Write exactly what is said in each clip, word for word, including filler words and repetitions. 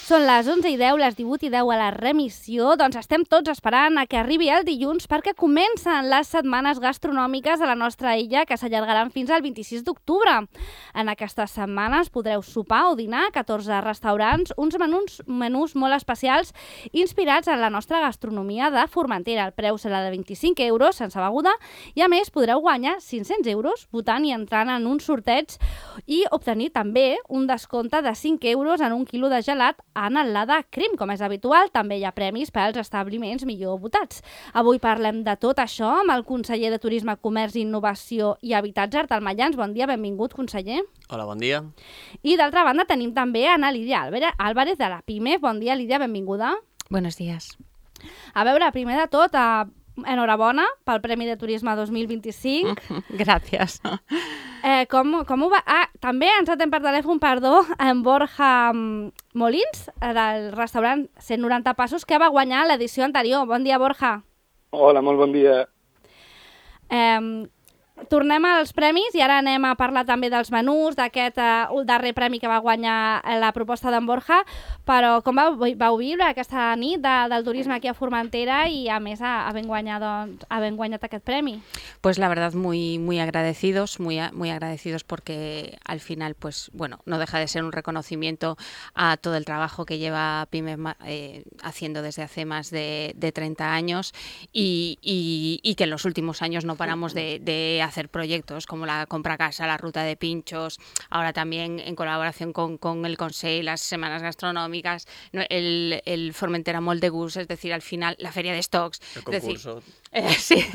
Són les onze i deu, les divuit i deu a la remissió. Doncs estem tots esperant a que arribi el dilluns perquè comencen les setmanes gastronòmiques a la nostra illa que s'allargaran fins al vint-i-sis d'octubre. En aquestes setmanes podreu sopar o dinar a catorze restaurants, uns menús, menús molt especials inspirats en la nostra gastronomia de Formentera. El preu serà de vint-i-cinc euros sense beguda i a més podreu guanyar cinc-cents euros votant i entrant en un sorteig i obtenir també un descompte de cinc euros en un quilo de gelat en el Lada Crim. Com és habitual, també hi ha premis pels establiments millor votats. Avui parlem de tot això amb el conseller de Turisme, Comerç, Innovació i Habitatge, Artal Mayans. Bon dia, benvingut, conseller. Hola, bon dia. I d'altra banda tenim també Ana Lídia Álvarez de la PIME. Bon dia, Lídia, benvinguda. Buenos días. A veure, primer de tot, eh, enhorabona pel Premi de Turisme dos mil vint-i-cinc. Gràcies. Eh, com, com ho va? Ah, també ens atem per telèfon, perdó, en Borja Molins, del restaurant cent noranta Passos, que va guanyar l'edició anterior. Bon dia, Borja. Hola, molt bon dia. Eh, tornem als premis i ara anem a parlar també dels menús, d'aquest eh, darrer premi que va guanyar la proposta d'en Borja, però com vau, vau viure aquesta nit de, del turisme aquí a Formentera i a més havent guanyat, doncs, havent guanyat aquest premi? Pues la verdad muy, muy agradecidos, muy, muy agradecidos porque al final, pues bueno, no deja de ser un reconocimiento a todo el trabajo que lleva PIME eh, haciendo desde hace más de, de treinta años y, y, y que en los últimos años no paramos de, de hacer proyectos como la compra casa, la ruta de pinchos, ahora también en colaboración con, con el Consell, las semanas gastronómicas, el, el Formentera Molt de Gust, es decir, al final la feria de stocks. El concurso. Decir, eh, sí,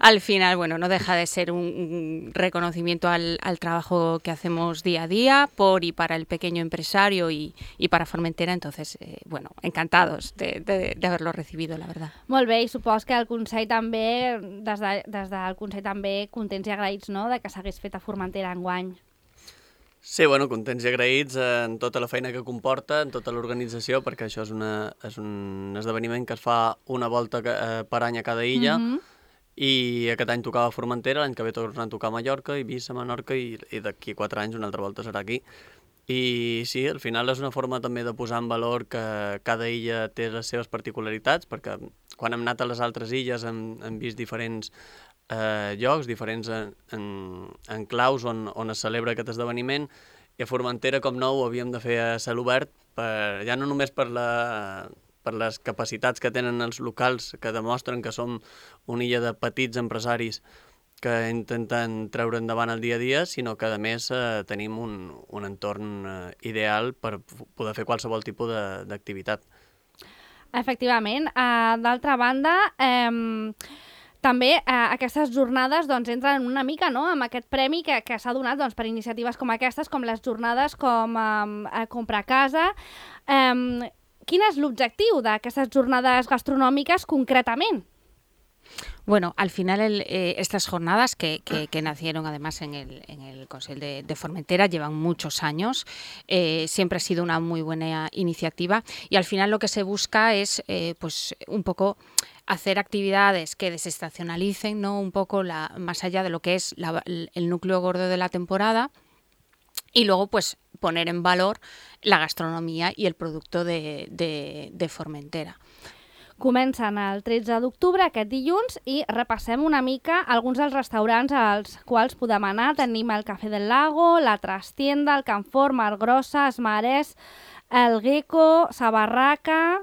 al final, bueno, no deja de ser un, un reconocimiento al, al trabajo que hacemos día a día por y para el pequeño empresario y, y para Formentera, entonces, eh, bueno, encantados de, de, de haberlo recibido, la verdad. Molt bé, i supos que el Consell també, des, de, des del Consell també contents i agraïts, no?, de que s'hagués fet a Formentera enguany. Sí, bueno, contents i agraïts en tota la feina que comporta, en tota l'organització, perquè això és, una, és un esdeveniment que es fa una volta eh, per any a cada illa, mm-hmm. i aquest any tocava a Formentera, l'any que ve tornen a tocar a Mallorca, Eivissa, Menorca, i, i d'aquí quatre anys una altra volta serà aquí. I sí, al final és una forma també de posar en valor que cada illa té les seves particularitats, perquè quan hem anat a les altres illes hem, hem vist diferents eh, llocs, diferents en, en, enclaus on, on es celebra aquest esdeveniment, i a Formentera, com no, ho havíem de fer a cel obert, per, ja no només per, la, per les capacitats que tenen els locals, que demostren que som una illa de petits empresaris que intenten treure endavant el dia a dia, sinó que, a més, eh, tenim un, un entorn eh, ideal per poder fer qualsevol tipus d'activitat. Efectivament. Uh, D'altra banda, eh, també eh, aquestes jornades doncs, entren una mica, no?, amb aquest premi que, que s'ha donat doncs, per iniciatives com aquestes, com les jornades com eh, Comprar Casa. Eh, quin és l'objectiu d'aquestes jornades gastronòmiques concretament? Bueno, al final el, eh, estas jornadas que, que, que nacieron además en el, en el Consell de, de Formentera llevan muchos años, eh, siempre ha sido una muy buena iniciativa y al final lo que se busca es eh, pues un poco hacer actividades que desestacionalicen, ¿no?, un poco la, más allá de lo que es la, el núcleo gordo de la temporada y luego pues poner en valor la gastronomía y el producto de, de, de Formentera. Comencen el tretze d'octubre, aquest dilluns, i repassem una mica alguns dels restaurants als quals podem anar. Tenim el Café del Lago, la Trastienda, el Can Fort, Mar Grossa, Esmarès, el Gecko, Sa Barraca.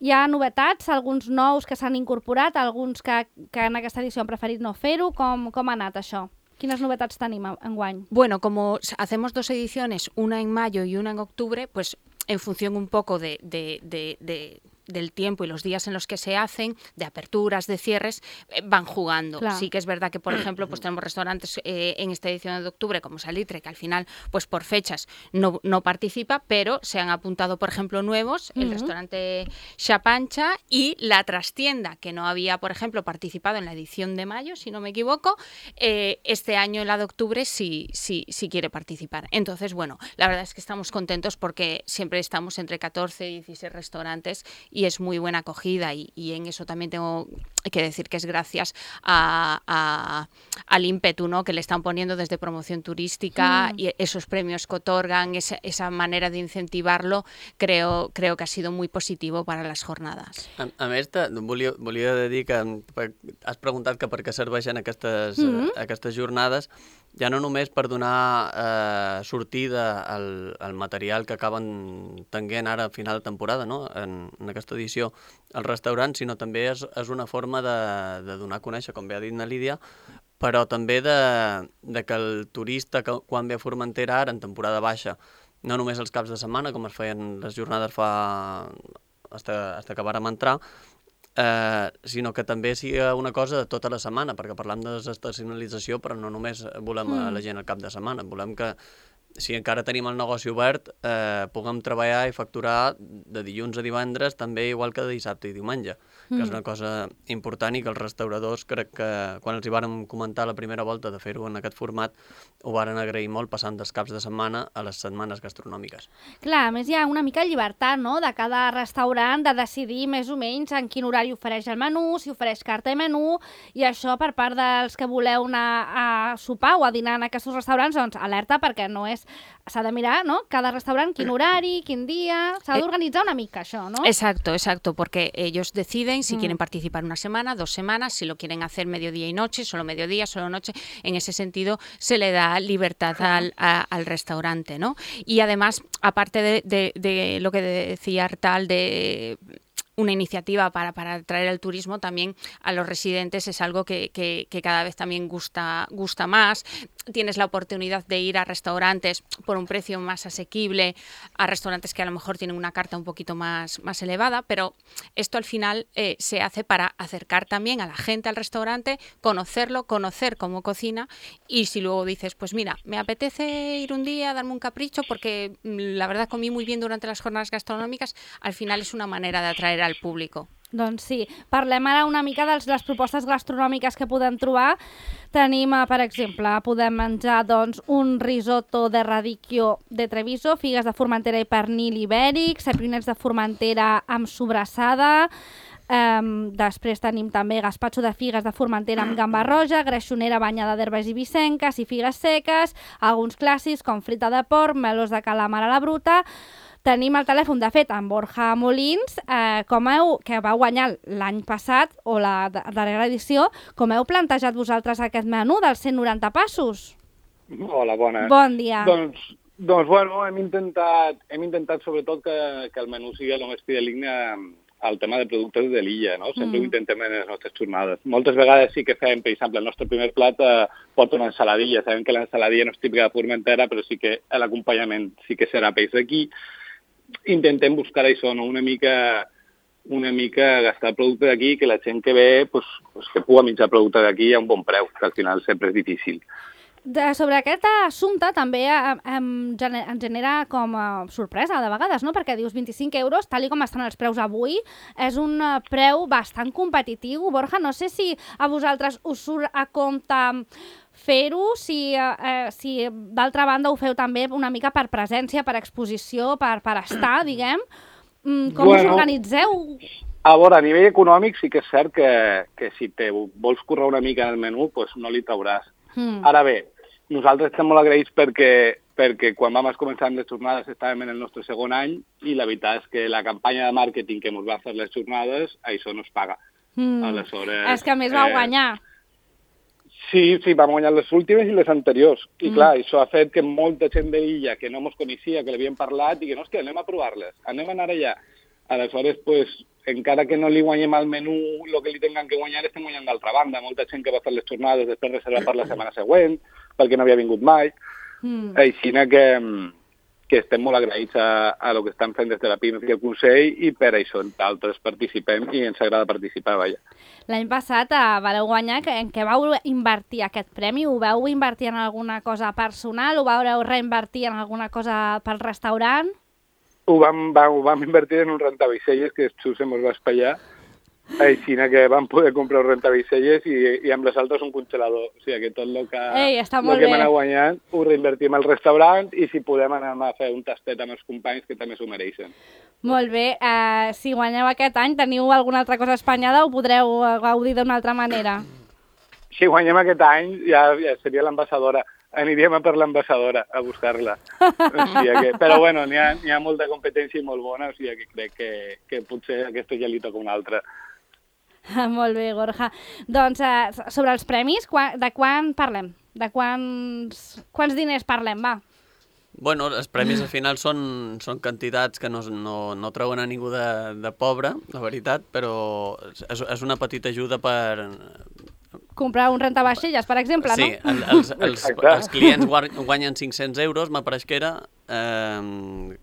Hi ha novetats, alguns nous que s'han incorporat, alguns que, que en aquesta edició han preferit no fer-ho. Com, com ha anat això? Quines novetats tenim enguany? Bueno, como hacemos dos ediciones, una en mayo y una en octubre, pues en función un poco de... de, de, de del tiempo y los días en los que se hacen, de aperturas, de cierres, eh, van jugando. Claro. Sí que es verdad que, por ejemplo, pues tenemos restaurantes eh, en esta edición de octubre, como Salitre, que al final, pues por fechas no, no participa, pero se han apuntado, por ejemplo, nuevos, uh-huh. el restaurante Chapancha y la Trastienda, que no había, por ejemplo, participado en la edición de mayo, si no me equivoco, eh, este año, en la de octubre, sí, sí, sí quiere participar. Entonces, bueno, la verdad es que estamos contentos porque siempre estamos entre catorce y dieciséis restaurantes y es muy buena acogida y, y en eso también tengo hay que decir que es gracias a, a, al ímpetu, ¿no?, que le están poniendo desde promoción turística mm. y esos premios que otorgan, esa, esa manera de incentivarlo, creo, creo que ha sido muy positivo para las jornadas. A, a més, te, volia, volia dir que has preguntat que per què serveixen aquestes, mm-hmm. eh, aquestes jornades, ja no només per donar eh, sortida al, al material que acaben tenint ara a final de temporada, no?, en, en aquesta edició al restaurant, sinó també és, és una forma de, de donar a conèixer, com bé ha dit na Lídia, però també de, de que el turista que, quan ve a Formentera ara en temporada baixa, no només els caps de setmana, com es feien les jornades fa hasta, hasta que vàrem entrar, eh, sinó que també sigui una cosa de tota la setmana, perquè parlam de desestacionalització, però no només volem mm. a la gent al cap de setmana, volem que si encara tenim el negoci obert, eh, puguem treballar i facturar de dilluns a divendres, també igual que de dissabte i diumenge, mm. que és una cosa important i que els restauradors, crec que quan els hi vàrem comentar la primera volta de fer-ho en aquest format, ho varen agrair molt, passant dels caps de setmana a les setmanes gastronòmiques. Clar, a més hi ha una mica de llibertat, no?, de cada restaurant de decidir més o menys en quin horari ofereix el menú, si ofereix carta i menú, i això per part dels que voleu anar a sopar o a dinar en aquests restaurants, doncs alerta, perquè no és s'ha de mirar, ¿no?, cada restaurant, quin horari, quin dia, s'ha d'organitzar una mica això, ¿no? Exacto, exacto, porque ellos deciden si mm. quieren participar una semana, dos semanas, si lo quieren hacer mediodía y noche, solo mediodía, solo noche. En ese sentido se le da libertad al, a, al restaurante, ¿no? Y además, aparte de, de, de lo que decía Artal, de una iniciativa para, para atraer el turismo también a los residentes, es algo que, que, que cada vez también gusta, gusta más. Tienes la oportunidad de ir a restaurantes por un precio más asequible, a restaurantes que a lo mejor tienen una carta un poquito más, más elevada, pero esto al final eh, se hace para acercar también a la gente al restaurante, conocerlo, conocer cómo cocina, y si luego dices, pues mira, me apetece ir un día, darme un capricho, porque la verdad comí muy bien durante las jornadas gastronòmiques, al final es una manera de atraer al público. Doncs sí, parlem ara una mica de les propostes gastronòmiques que podem trobar. Tenim, per exemple, podem menjar doncs, un risotto de radicchio de Treviso, figues de Formentera i pernil ibèric, ceprinets de Formentera amb sobrassada. Um, després tenim també gaspatxo de figues de Formentera amb gamba roja, greixonera banyada d'herbes ibisenques i figues seques, alguns clàssics com frita de porc, melós de calamar a la bruta. Tenim el telèfon, de fet, amb Borja Molins, eh, com heu, que va guanyar l'any passat, o la darrera edició, com heu plantejat vosaltres aquest menú dels cent noranta passos? Hola, bona. Bon dia. Doncs, doncs bueno, hem intentat, hem intentat sobretot que, que el menú sigui el més fideligne al tema de productes de l'illa, no? Sempre mm. ho intentem en les nostres jornades. Moltes vegades sí que fem, per exemple, el nostre primer plat eh, porta una ensaladilla. Sabem que l'ensaladilla no és típica de Formentera, però sí que l'acompanyament sí que serà peix d'aquí. Intentem buscar això, no? una mica una mica gastar producte d'aquí, que la gent que ve pues, pues que pugui menjar producte d'aquí a un bon preu, que al final sempre és difícil. De, sobre aquest assumpte també em, em genera com a sorpresa de vegades, no? Perquè dius vint-i-cinc euros, tal com estan els preus avui, és un preu bastant competitiu. Borja, no sé si a vosaltres us surt a compte fer-ho, si, eh, si d'altra banda ho feu també una mica per presència, per exposició, per, per estar, diguem. Com bueno, us organitzeu? A veure, a nivell econòmic sí que és cert que, que si te vols currar una mica en el menú, pues no li trauràs. Mm. Ara bé, nosaltres estem molt agraïts perquè, perquè quan vam començar amb les jornades estàvem en el nostre segon any i la veritat és que la campanya de màrqueting que ens va fer les jornades, això no es paga. Mm. Aleshores, és que a més vau eh, guanyar. Sí, sí, vam guanyar les últimes i les anteriors. I mm. clar, això ha fet que molta gent de l'illa que no ens coneixia, que l'havien parlat, i que no, és que anem a provar-les, anem a anar allà. Aleshores, pues, encara que no li guanyem al menú el que li tinguem que guanyar, estem guanyant d'altra banda. Molta gent que va fer les jornades després reservar per la setmana següent, perquè no havia vingut mai. Mm. Així que, que estem molt agraïts a, a lo que estan fent des de la P I M E i el Consell, i per això altres participem i ens agrada participar, vaja. L'any passat eh, vareu guanyar, que, en què vau invertir aquest premi? Ho vau invertir en alguna cosa personal? Ho vau reinvertir en alguna cosa pel restaurant? Ho vam, va, ho vam invertir en un rentavicelles que just se mos va espaiar Així que vam poder comprar un rentavicelles i, i amb les altres un congelador. O sigui que tot el que, Ei, està el molt que bé. hem anat guanyant ho reinvertim al restaurant i si podem anar a fer un tastet amb els companys que també s'ho mereixen. Molt bé. Uh, si guanyeu aquest any, teniu alguna altra cosa espenyada o podreu gaudir d'una altra manera? Si guanyem aquest any ja, ja seria l'ambassadora. Aniríem a per l'ambassadora a buscar-la. O sigui que, però bueno, n'hi ha, n'hi ha molta competència i molt bona, o sigui que crec que, que potser aquesta ja li toca una altra. Molt bé, Gorja. Doncs uh, sobre els premis, quan, de quan parlem? De quants, quants diners parlem, va? Bueno, els premis al final són, són quantitats que no, no, no treuen a ningú de, de pobre, la veritat, però és, és una petita ajuda per... Comprar un rentavaixelles, per exemple, sí, no? Sí, els, els, els clients guanyen cinc-cents euros, m'apareix que era, eh,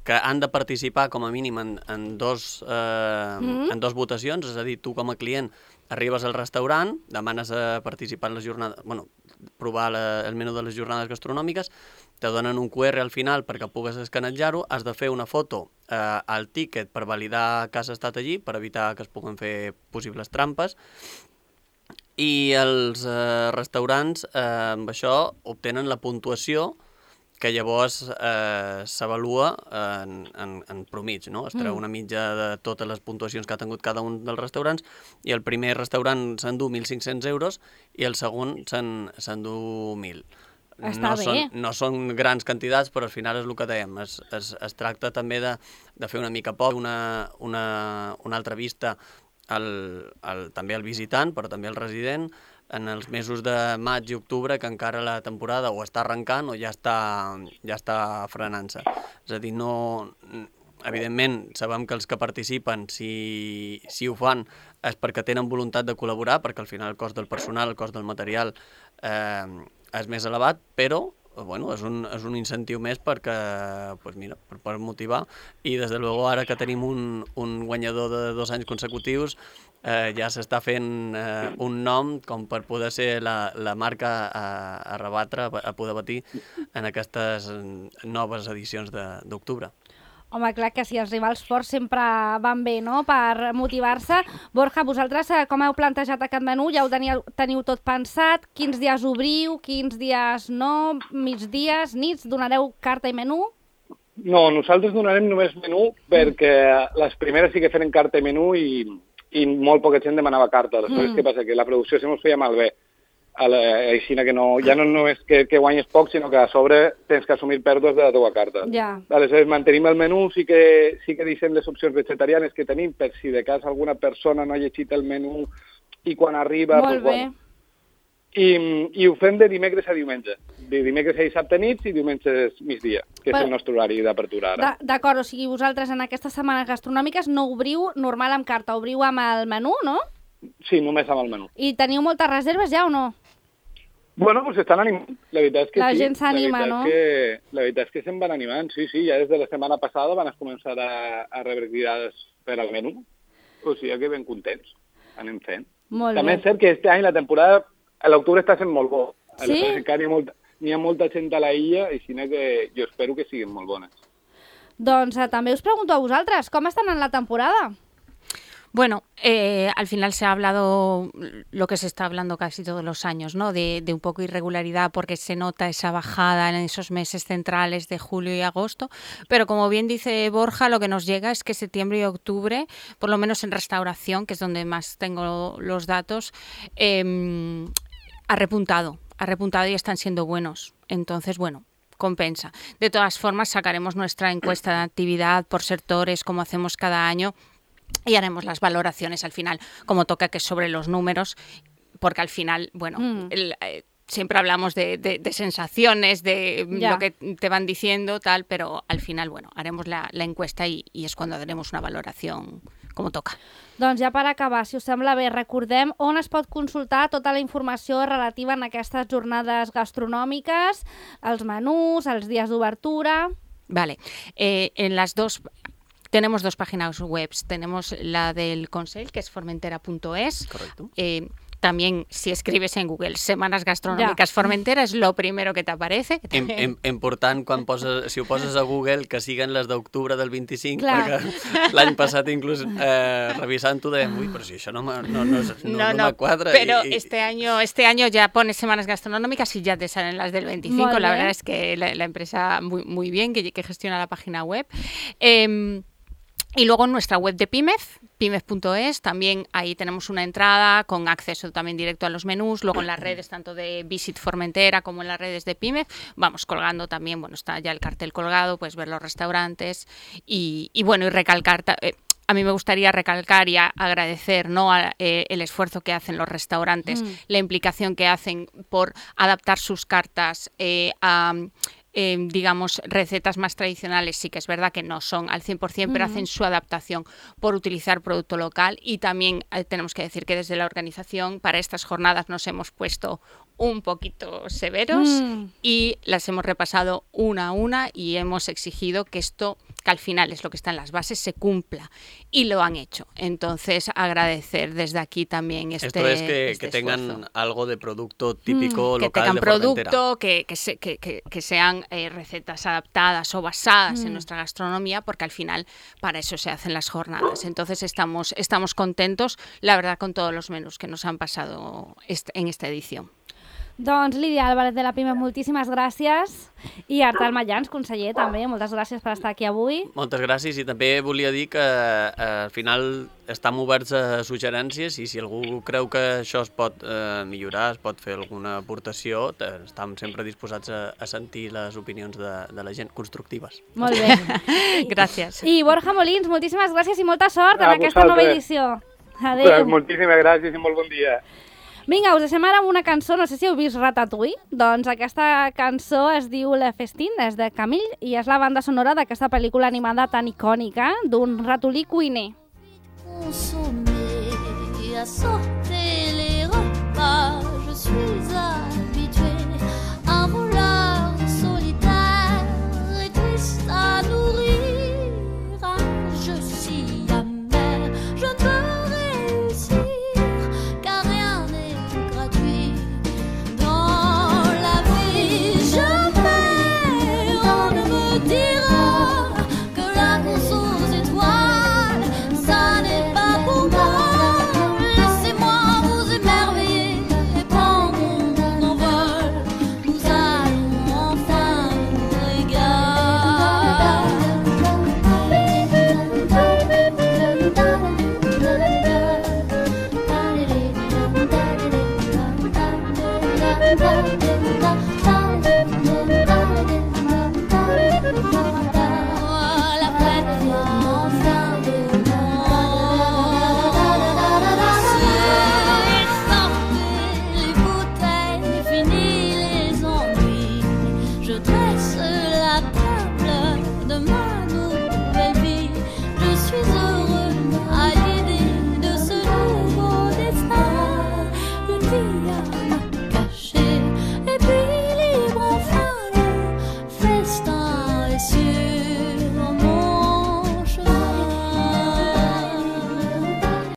que han de participar com a mínim en, en, dos, eh, mm-hmm. en dos votacions, és a dir, tu com a client arribes al restaurant, demanes a participar en les jornades, bueno, provar la, el menú de les jornades gastronòmiques, te donen un cu erre al final perquè pugues escanejar-ho, has de fer una foto eh, al tíquet per validar que has estat allí, per evitar que es puguen fer possibles trampes, i els eh, restaurants eh, amb això obtenen la puntuació que llavors eh, s'avalua en, en, en promig, no? Es treu una mitja de totes les puntuacions que ha tingut cada un dels restaurants i el primer restaurant s'endú mil cinc-cents euros i el segon s'endú mil. Està no bé. Són, no són grans quantitats, però al final és el que dèiem. Es, es, es tracta també de, de fer una mica poc, una, una, una altra vista al, al, també al visitant, però també al resident, en els mesos de maig i octubre, que encara la temporada o està arrencant o ja està, ja està frenant-se. És a dir, no... Evidentment, sabem que els que participen, si, si ho fan, és perquè tenen voluntat de col·laborar, perquè al final el cost del personal, el cost del material eh, és més elevat, però bueno, és, un, és un incentiu més perquè, pues mira, per, per motivar. I des de luego, ara que tenim un, un guanyador de dos anys consecutius, eh, ja s'està fent eh, un nom com per poder ser la, la marca a, a rebatre, a poder batir en aquestes noves edicions d'octubre. Home, clar que sí, els rivals forts sempre van bé, no?, per motivar-se. Borja, vosaltres com heu plantejat aquest menú? Ja ho teniu, teniu tot pensat? Quins dies obriu, quins dies no? Migdies, nits? Donareu carta i menú? No, nosaltres donarem només menú perquè les primeres sí que feren carta i menú i, i molt poca gent demanava carta. Després, mm. què passa? Que la producció se mos feia malbé. Així que no, ja no només que, que guanyes poc, sinó que a sobre tens que assumir pèrdues de la teva carta. Ja. Aleshores, mantenim el menú, sí que, sí que deixem les opcions vegetarianes que tenim, per si de cas alguna persona no ha llegit el menú i quan arriba... Molt pues, bé. Bueno, i, I ho fem de dimecres a diumenge. De dimecres a dissabte nits i diumenges migdia, que Però... és el nostre horari d'apertura ara. D'acord, o sigui, vosaltres en aquestes setmanes gastronòmiques no obriu normal amb carta, obriu amb el menú, no? Sí, només amb el menú. I teniu moltes reserves ja o no? Bueno, pues estan animant, la veritat és que la sí. La gent s'anima, no? Que, la veritat és que se'n van animant, sí, sí, ja des de la setmana passada van començar a, a rebre cridades per al menú, o sigui que ben contents, anem fent. Molt També bé. és cert que este any la temporada, a l'octubre està sent molt bo. Sí? N'hi ha, molta, n'hi ha molta gent a la illa i així que jo espero que siguin molt bones. Doncs eh, també us pregunto a vosaltres, com estan en la temporada? Bueno, eh, al final se ha hablado lo que se está hablando casi todos los años, ¿no? De, de un poco irregularidad porque se nota esa bajada en esos meses centrales de julio y agosto, pero como bien dice Borja, lo que nos llega es que septiembre y octubre, por lo menos en restauración, que es donde más tengo los datos, eh, ha repuntado, ha repuntado y están siendo buenos. Entonces, bueno, compensa. De todas formas, sacaremos nuestra encuesta de actividad por sectores, como hacemos cada año, y haremos las valoraciones al final, como toca, que es sobre los números, porque al final, bueno, mm. el, eh, siempre hablamos de, de, de sensaciones, de ya. Lo que te van diciendo, tal, pero al final, bueno, haremos la, la encuesta y, y és quan haremos una valoración com toca. Doncs ja per acabar, si us sembla bé, recordem on es pot consultar tota la informació relativa en aquestes jornades gastronòmiques, els menús, els dies d'obertura... Vale, eh, en las dos... Tenemos dos páginas web. Tenemos la del Consell, que es formentera punto es. Correcto. Eh, también si escribes en Google Semanas Gastronòmiques ja. Formentera és lo primero que t'aparece. Im, im, important, quan poses, si ho poses a Google, que siguen les d'octubre del vint-i-cinc, clar. Perquè l'any passat inclús eh, revisant-ho dèiem, ui, però si això no, no, no, no, no, no, no me cuadra. Pero y, este, año, este año ya pones Semanas Gastronómicas y ya te salen las del veinticinco. La verdad es que la, la empresa muy, muy bien, que, que gestiona la página web. Eh, Y luego en nuestra web de Pimez, pimez punto es, también ahí tenemos una entrada con acceso también directo a los menús. Luego en las redes tanto de Visit Formentera como en las redes de Pimez vamos colgando también, bueno, está ya el cartel colgado, puedes ver los restaurantes y, y bueno, y recalcar... Eh, a mí me gustaría recalcar y a, agradecer, ¿no?, a, eh, el esfuerzo que hacen los restaurantes, mm. la implicación que hacen por adaptar sus cartas eh, a... Eh, digamos, recetas más tradicionales. Sí que es verdad que no son al cien por cien, pero uh-huh. hacen su adaptación por utilizar producto local. Y también eh, tenemos que decir que desde la organización para estas jornadas nos hemos puesto un poquito severos mm. y las hemos repasado una a una y hemos exigido que esto, que al final es lo que está en las bases, se cumpla. Y lo han hecho. Entonces, agradecer desde aquí también este esfuerzo. Esto es que, este que tengan esfuerzo. Algo de producto típico mm, local que tengan de producto, que, que, se, que, que, que sean eh, recetas adaptadas o basadas mm. en nuestra gastronomía, porque al final para eso se hacen las jornadas. Entonces, estamos, estamos contentos, la verdad, con todos los menús que nos han pasado este, en esta edición. Doncs Lídia Álvarez de la Pimez, moltíssimes gràcies. I Artal Mayans, conseller, també, moltes gràcies per estar aquí avui. Moltes gràcies i també volia dir que eh, al final estem oberts a suggerències i si algú creu que això es pot eh, millorar, es pot fer alguna aportació, estem sempre disposats a, a sentir les opinions de, de la gent constructives. Molt bé. Gràcies. I Borja Molins, moltíssimes gràcies i molta sort en a aquesta vosaltres. Nova edició. Adéu. Moltíssimes gràcies i molt bon dia. Vinga, us deixem ara amb una cançó, no sé si heu vist Ratatouille, doncs aquesta cançó es diu Le Festin, és de Camille, i és la banda sonora d'aquesta pel·lícula animada tan icònica d'un ratolí cuiner. Consommé, à sauter les repas, je suis à